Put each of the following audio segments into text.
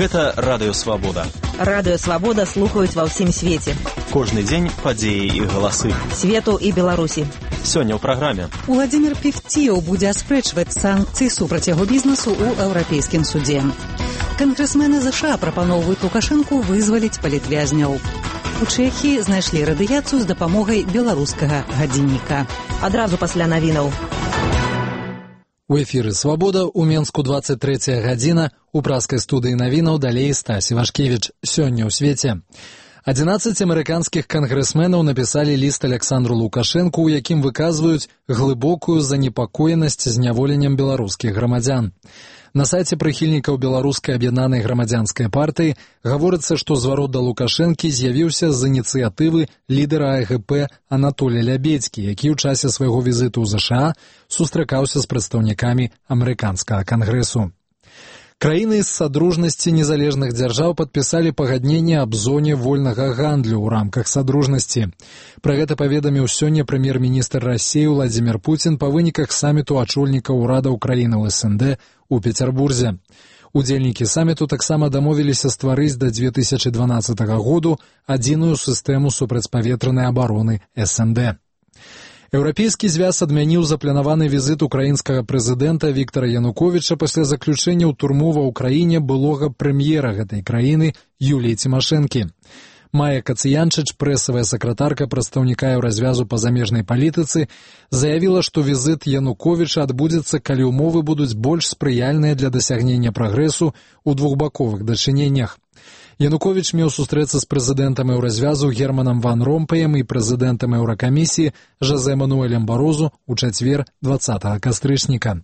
Гэта Радыё Свабода. Радыё Свабода слухаюць ва ўсім свеце. Кожны дзень падзеі і галасы Свету і Беларусі. Сёння ў праграме. Уладзімір Певціў будзе аспрэчваць санкцыі супраць яго бізнесу ў Еўрапейскім судзе. Кангрэсмены ЗША прапаноўваюць Лукашэнку вызваліць палітвязняў. У Чэхіі знайшлі радыяцыю з дапамогай беларускага гадзінніка. Адразу пасля навінаў. У эфіры «Свабода», у Менску 23 гадзіна, у праскай студыі навінаў далей Стась Івашкевіч. Сёння ў свеце. 11 амерыканскіх кангрэсменаў напісалі ліст Александру Лукашэнку, у якім выказваюць глыбокую занепакоенасць зняволеннем беларускіх грамадзян. На сайце прыхільнікаў беларускай аб'яднанай грамадзянскай партыі гаворыцца, што зварот да Лукашэнкі з'явіўся з ініцыятывы лідара АГП Анатолія Лябедзькі, які ў часе свайго візіту ў ЗША сустракаўся з прадстаўнікамі амерыканскага кангрэсу. Краіны з Садружнасці незалежных дзяржаў падпісалі пагадненне аб зоне вольнага гандлю ў рамках Садружнасці. Пра гэта паведаміў сёння прэм'ер-міністр Расіі Владзімір Пуцін па выніках саміту ачольнікаў урадаў краінаў СНД у Пецярбурзе. Удзельнікі саміту таксама дамовіліся стварыць да 2012 году адзіную сістэму супрацьпаветранай абароны СНД. Еўрапейскі звяз адмяніў запланаваны візіт украінскага прэзідэнта Віктара Януковіча пасля заключэння ў турму ва ўкраіне былога прэм'ера гэтай краіны Юліі Цімашэнкі. Майя Кацыянчыч, прэсавая сакратарка прадстаўніка Еўразвязу па замежнай палітыцы, заявіла, што візіт Януковіча адбудзецца, калі ўмовы будуць больш спрыяльныя для дасягнення прагрэсу ў двухбаковых дачыненнях. Януковіч меў сустрэцца з прэзідэнтам Еўразвязу Германам Ван Ромпаем і прэзідэнтам Еўракамісіі Жозе Мануэлем Барозу ў чацвер 20 кастрычніка.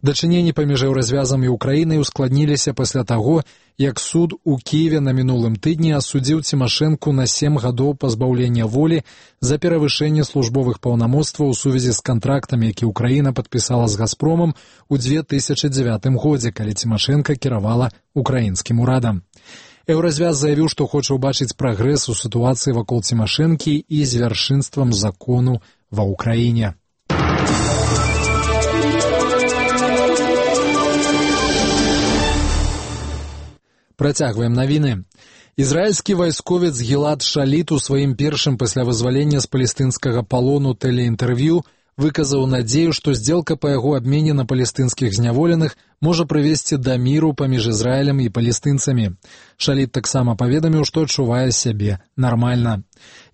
Дачыненні паміж Еўразвязам і Украінай ускладніліся пасля таго, як суд у Кіеве на мінулым тыдні асудзіў Цімашэнку на 7 гадоў пазбаўлення волі за перавышэнне службовых паўнамоцтваў у сувязі з кантрактам, які Украіна падпісала з «Газпромам» у 2009 годзе, калі Цімашэнка кіравала украінскім урадам. Еўразвяз заявіў, што хоча ўбачыць прагрэс у сітуацыі вакол Цімашэнкі і з вяршынствам закону ва ўкраіне. Працягваем навіны. Ізраільскі вайсковец Гілад Шаліт у сваім першым пасля вызвалення з палестынскага палону тэлеінтэрв'ю выказаў надзею, што здзелка па яго абмене на палестынскіх зняволеных можа прывесці да міру паміж Ізраілем і палестынцамі. Шаліт таксама паведаміў, што адчувае сябе нармальна.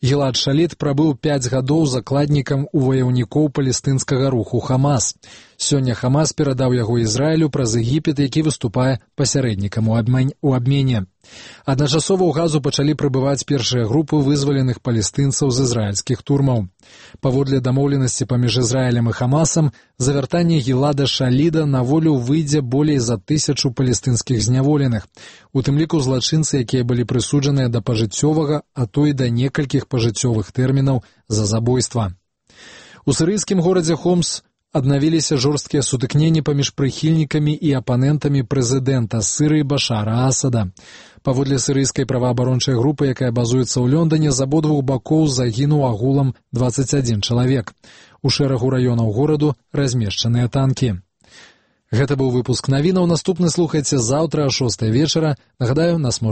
Гілад Шаліт прабыў 5 гадоў закладнікам у ваяўнікоў палестынскага руху Хамас. Сёння Хамас перадаў яго Ізраілю праз Егіпет, які выступае пасярэднікам у абмене. Адначасова ў Газу пачалі прыбываць першыя групы вызваленых палестынцаў з ізраільскіх турмаў. Паводле дамоўленасці паміж Ізраілем і Хамасам, за вяртанне Гілада Шаліда на волю выйдзе болей за 1000 палестынскіх зняволеных, у тым ліку злачынцы, якія былі прысуджаныя да пажыццёвага, а то і да некалькіх пажыццёвых тэрмінаў за забойства. У сірыйскім горадзе Хомс аднавіліся жорсткія сутыкненні паміж прыхільнікамі і апанентамі прэзідэнта Сірыі Башара Асада. Паводле сірыйскай праваабарончай групы, якая базуецца ў Лондоне, з абодвух бакоў загінуў агулам 21 чалавек. У шэрагу раёнаў гораду размешчаныя танкі. Гэта быў выпуск навінаў. Наступны слухайце заўтра о 6 вечара. Нагадаю, нас